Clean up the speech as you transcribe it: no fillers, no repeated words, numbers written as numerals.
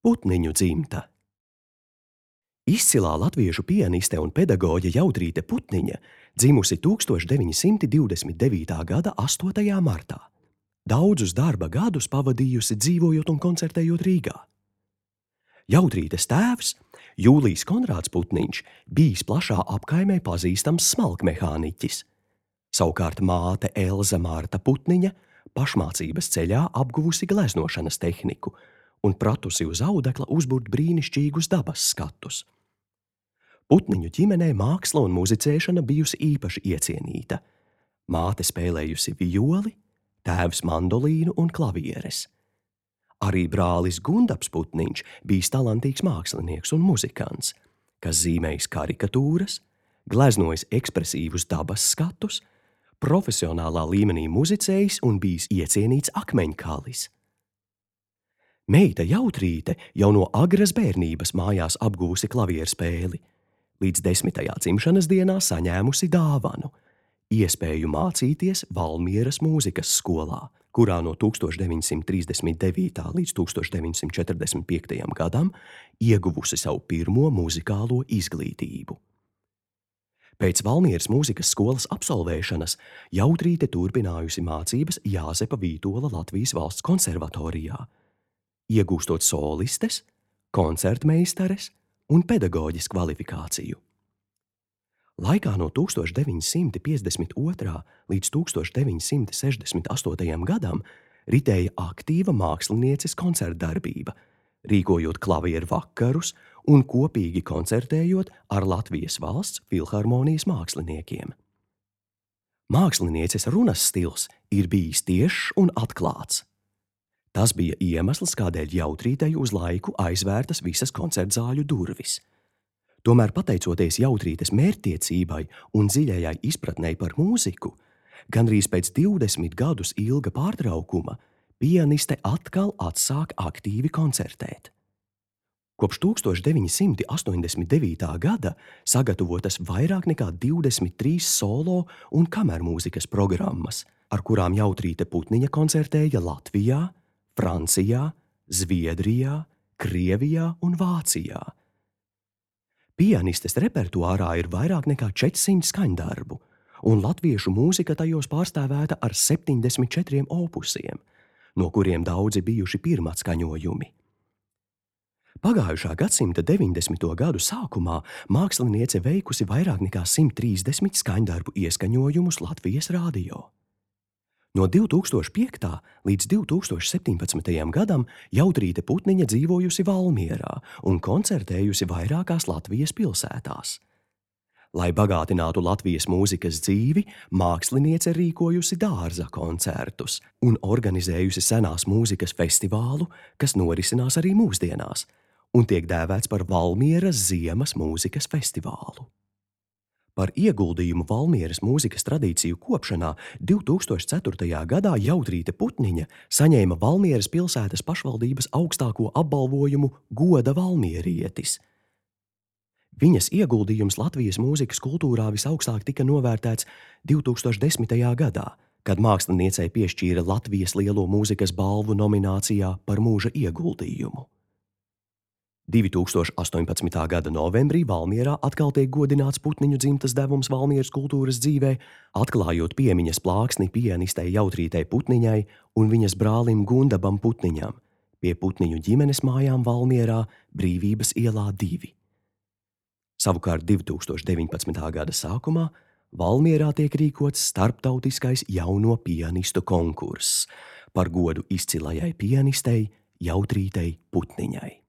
Putniņu dzimta. Izcilā latviešu pianiste un pedagoģe Jautrīte Putniņa dzimusi 1929. gada 8. martā. Daudzus darba gadus pavadījusi dzīvojot un koncertējot Rīgā. Jautrītes tēvs, Jūlijs Konrāds Putniņš, bijis plašā apkaimē pazīstams smalkmehāniķis. Savukārt māte Elza Marta Putniņa pašmācības ceļā apguvusi gleznošanas tehniku un pratusi uz audekla uzburt brīnišķīgus dabas skatus. Putniņu ģimenē māksla un muzicēšana bijusi īpaši iecienīta. Māte spēlējusi violi, tēvs mandolīnu un klavieres. Arī brālis Gundaps Putniņš bijis talantīgs mākslinieks un muzikants, kas zīmējis karikatūras, gleznojis ekspresīvus dabas skatus, profesionālā līmenī muzicējis un bijis iecienīts akmeņkalis. Meita Jautrīte jau no agras bērnības mājās apguvusi klavierspēli, līdz 10. dzimšanas dienā saņēmusi dāvanu – iespēju mācīties Valmieras mūzikas skolā, kurā no 1939. līdz 1945. gadam ieguvusi savu pirmo muzikālo izglītību. Pēc Valmieras mūzikas skolas absolvēšanas Jautrīte turpinājusi mācības Jāzepa Vītola Latvijas Valsts konservatorijā, iegūstot solistes, koncertmeistares un pedagoģis kvalifikāciju. Laikā no 1952. līdz 1968. gadam ritēja aktīva mākslinieces koncertdarbība, rīkojot klavieru vakarus un kopīgi koncertējot ar Latvijas Valsts filharmonijas māksliniekiem. Mākslinieces runas stils ir bijis tiešs un atklāts. Tas bija iemesls, kādēļ Jautrītei uz laiku aizvērtas visas koncertzāļu durvis. Tomēr, pateicoties Jautrītes mērķtiecībai un dziļajai izpratnei par mūziku, gandrīz pēc 20 gadus ilga pārtraukuma pianiste atkal atsāk aktīvi koncertēt. Kopš 1989. gada sagatavotas vairāk nekā 23 solo un kamermūzikas programmas, ar kurām Jautrīte Putniņa koncertēja Latvijā, Francijā, Zviedrijā, Krievijā un Vācijā. Pianistes repertuārā ir vairāk nekā 400 skaņdarbu, un latviešu mūzika tajos pārstāvēta ar 74 opusiem, no kuriem daudzi bijuši pirmatskaņojumi. Pagājušā gadsimta 90. gadu sākumā māksliniece veikusi vairāk nekā 130 skaņdarbu ieskaņojumus Latvijas radio. No 2005. līdz 2017. gadam Jautrīte Putniņa dzīvojusi Valmierā un koncertējusi vairākās Latvijas pilsētās. Lai bagātinātu Latvijas mūzikas dzīvi, māksliniece rīkojusi dārza koncertus un organizējusi senās mūzikas festivālu, kas norisinās arī mūsdienās, un tiek dēvēts par Valmieras ziemas mūzikas festivālu. Par ieguldījumu Valmieras mūzikas tradīciju kopšanā 2004. gadā Jautrīte Putniņa saņēma Valmieras pilsētas pašvaldības augstāko apbalvojumu Goda valmierietis. Viņas ieguldījums Latvijas mūzikas kultūrā visaugstāk tika novērtēts 2010. gadā, kad māksliniecei piešķīra Latvijas lielo mūzikas balvu nominācijā par mūža ieguldījumu. 2018. gada novembrī Valmierā atkal tiek godināts Putniņu dzimtas devums Valmieras kultūras dzīvē, atklājot piemiņas plāksni pianistei Jautrītei Putniņai un viņas brālim Gundabam Putniņam pie Putniņu ģimenes mājām Valmierā Brīvības ielā 2. Savukārt 2019. gada sākumā Valmierā tiek rīkots starptautiskais jauno pianistu konkurss par godu izcilajai pianistei Jautrītei Putniņai.